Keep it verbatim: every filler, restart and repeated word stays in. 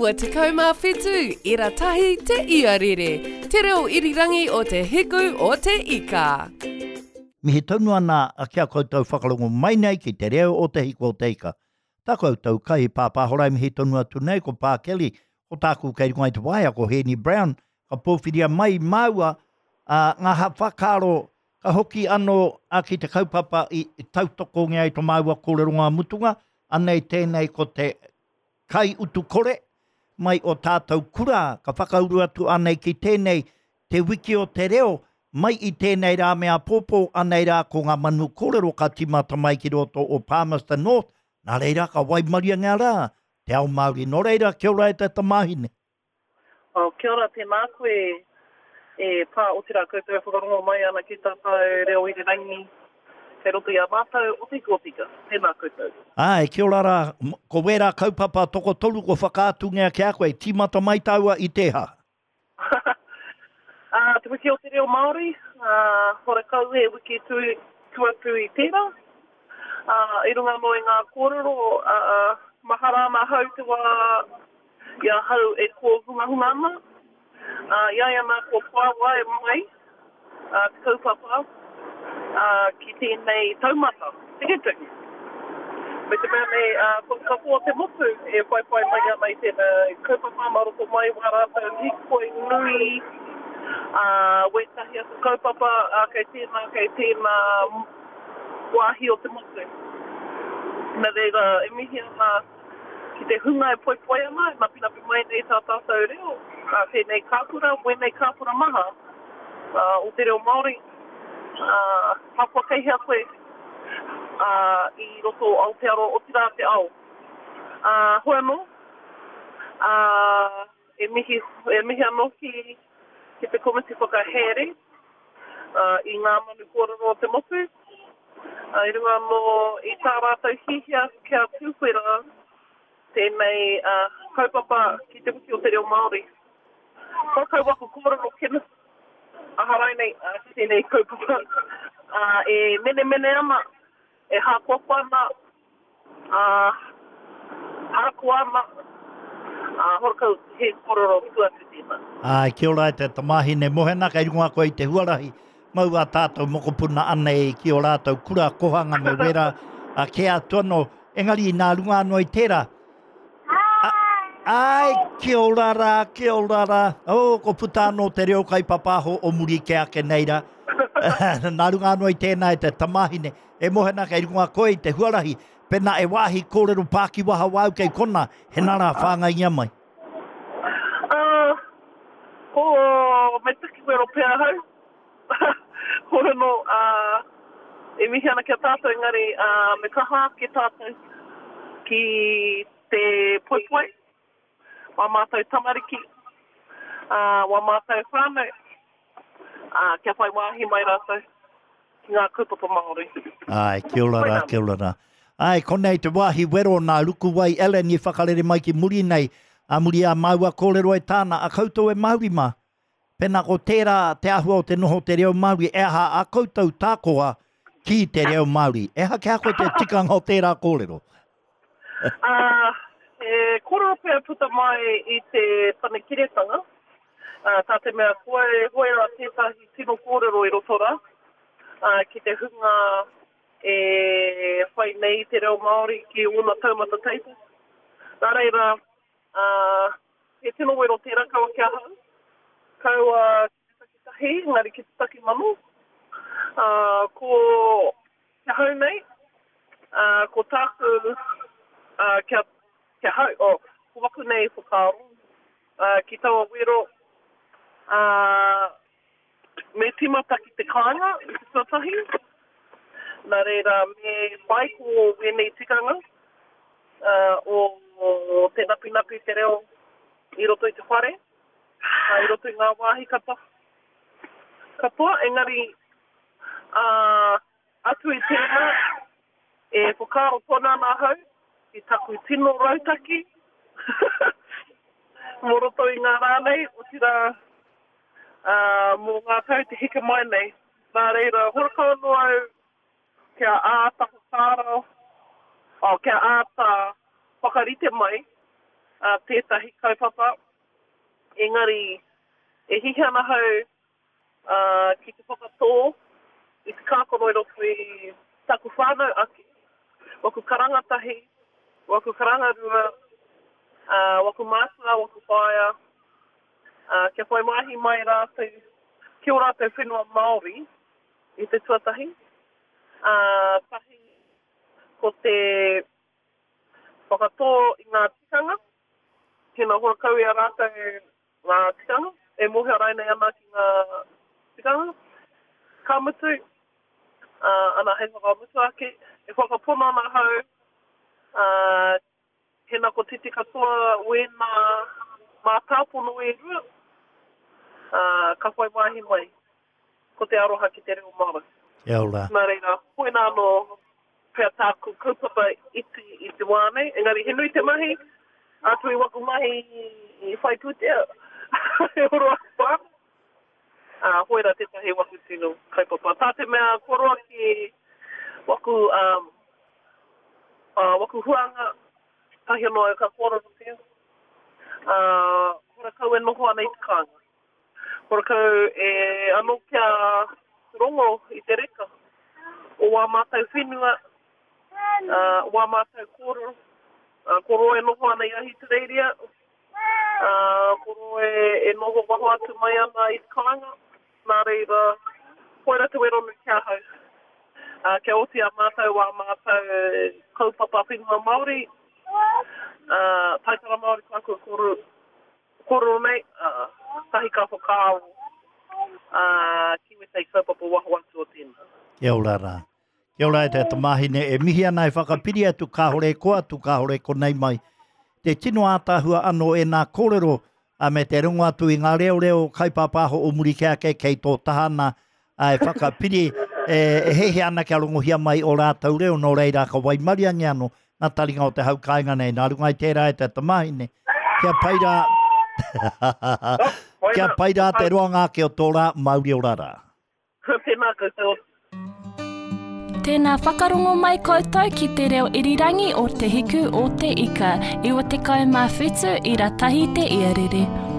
Iwa tekau mā whitu, ira tahi te iarere, te reo irirangi o te hiku o te ika. Mihi tonu ana ki a koutou whakarongo mai nei ki te reo o te hiku o te ika. Tā koutou kai pāpāhora e mihi tonu atu nei ko Pā Kelly, ko tāku kei runga i te waea ko Hēni Brown, ka pōwhiria mai māua uh, ngā whakaaro ka hoki anō a ki te kaupapa i tautokongia i tō māua kōrero ngā mutunga, anei tēnei ko te kai utu kore mai o tātou kura, ka whakauru atu anei ki tēnei te wiki o te reo, mai i tēnei rā me āpōpō, anei rā ko ngā manu kōrero ka tīmata mai ki roto o Palmerston North, nā reira ka waimaria ngā rā, te ao Māori. Nō reira, kia ora e te tamāhine. Oh, kia ora, tēnā koe e pā otirā koutou e whakarongo mai ana ki tātou reo irirangi kei roto i a mātou o te Ika. Tēnā koutou. Āe, kia ora rā, ko wērā kaupapa tokotoru ko whakaatungia ki a koe, tīmata mai tāua i tēhā? Uh, te wiki o te reo Māori, uh, horekau he wiki tu, tuatu i tērā. Uh, i runga anō i ngā kōrero, uh, mahara ana hau te wā i ahau e kōhungahunga ana. Uh, i ai ana ko puāwai mai uh, te kaupapa uh, ki tēnei taumata, tiketike. Me te mea nei, uh, ko te katoa o te motu e whaiwhai mai ana i tēnei kaupapa mā roto mai wā rātou hīkoi nui, uh, wētahi atu kaupapa uh, kei tēnā, kei tēnā wāhi o te motu. Nā reira, e mihi ana ki te hunga e poipoi ana, e napinapi mai nei tā tātou reo, uh, tēnei kāpura, wēnei kāpura maha uh, o te reo Māori. Uh, ahakoa kei hea koe uh, i roto o Aotearoa, otirā te ao. Uh, hoi anō, uh, e mihi, e mihi anō ki, ki te komiti whakahaere uh, i ngā manu kōrero o te motu. Uh, i runga anō i tā rātou hihia kia tūwhera tēnei uh, kaupapa ki te wiki o te reo Māori. Horekau waku kōrero Kenneth, aharai nei uh, ki tēnei kaupapa uh, e menemene ana, e hākoakoa ana, uh, harakoa ana, uh, horekau he kōrero tuatu tēnā. Ai, kia ora e te tamāhine mohena, kei runga koe i te huarahi, mau a tātou mokopuna anei ki o rātou kura kohanga me wera a ke atu anō, engari nā runga anō i tērā. Ai, kia ora rā, kia ora rā. Oh, ko puta anō te reo kai papaho o muri ke ake nei rā. Nā runga anō i tēnā e te tamāhine. E mohena kei runga koe i te huarahi. Pena e wāhi kōrero pākiwaha wāu kei kona, he nā rā whāngaingia mai. Uh, ko me taki wero pea hau. Hoi anō, uh, e mihi ana ki a tātou, engari uh, me kaha ake tātou ki te poipoi, wā mātou tamariki, uh, wā mātou whānau, uh, kia whai wāhi mai rātou ki ngā kaupapa Māori. Ai, kia ora rā, kia ora rā. Ai, konei te wāhi wero nā Rukuwai Ellen i whakarere mai ki muri nei, a muri a māua kōrero e tāna, a koutou e Māori mā. Pēnā ko tērā te āhua o te noho te reo Māori, e aha a koutou tākoha ki te reo Māori. E aha kia koe te tikanga o tērā kōrero? Uh, e kōrero pea puta mai i te panekiretanga, uh, tā te mea koe hoera tētahi tino kōrero i roto rā, uh, ki te hunga e whai nei te reo Māori ki ōna taumata teita. Nā reira, uh, he tino wero tērā kaua ki ahau, kaua ki te takitahi, engari ki te takimano. Uh, ko te hau nei, uh, ko tāku uh, kia, kia hau, oh, ko waku nei whakaaro, uh, ki taua wero, uh, me tīmata ki te kāinga i te tuatahi. Nā reira, me whai ko wēnei tikanga uh, o, o te napinapi te reo i roto i te whare, uh, i roto i ngā wāhi katoa. Katoa, engari uh, atu i tēnā, e whakaaro tonu ana ahau i taku tino rautaki mō roto i ngā rā nei, otirā uh, mō ngā tau te heke mai nei. Nā reira, horekau anō au kia āta whakaaro, oh, kia āta whakarite mai uh, tētahi kaupapa. Engari, e hihi ana hau uh, ki te whakatō i te kākano i roto i taku whānau ake, waku karanga tahi, waku karanga rua, uh, waku mātua, waku whaea, uh, kia whai mahi mai rātou, ki o rātou whenua Māori i te tuatahi. Uh, tahi ko te whakatō i ngā tikanga, tēnā horakau i a rātou ngā tikanga, e mōhio rainei ana ki ngā tikanga. Ka mutu, uh, ana hei whakamutu ake, e whakapono ana hau, uh, hena ko titi katoa wēnā mātāpono e rua, uh, ka whai wāhi mai, ko te aroha ki te reo Māori. Kia ora. Nā reira, koina anō pea tāku kaupapa iti i te wā nei, engari he nui te mahi, atu i waku mahi i whai pūtea, e oro aku whānau. Uh, hoera tētahi waku tino kaupapa. Tā te mea kua roa ki waku, um, uh, waku huanga, tahi anō au ka kōrerotia. Uh, horakau e noho ana i te kāinga. Horakau e anō kia rongo i te reka o wā mātou whenua, uh, wā mātou kōrero. Uh, ko roa e noho ana i Ahitereiria, uh, ko roa e, e noho waho atu mai ana i te kāinga. Nā reira, koira te wero nui ki ahau. Uh, kia oti a mātou wā mātou kaupapa whenua Māori, uh, taitara Māori tāku kōrero, kōrero nei, uh, tahi ka whakaaro uh, ki wētahi kaupapa waho atu o tēnā. Kia ora rā. Kia ora e te tamāhine, e mihi ana e whakapiri atu kāhore ko atu, kāhore konei mai. Te tino ātaahua anō e nā kōrero, a me te rongo atu i ngā reo reo kaipāpāho o muri ke ake kei tō tahana, a e whakapiri, e, e hehe ana kia rongohia mai o rātou reo, nō reira ka waimariangi anō, ngā taringa o te hau kāinga nei, nā runga i tērā e te tamāhine. Kia pai rā, kia pai rā te roanga ake o tō rā, mauri ora rā. Tēnā koutou. Tēnā whakarongo mai koutou ki te reo irirangi o Te Hiku o Te Ika, iwa tekau mā whitu ira tahi te iarere.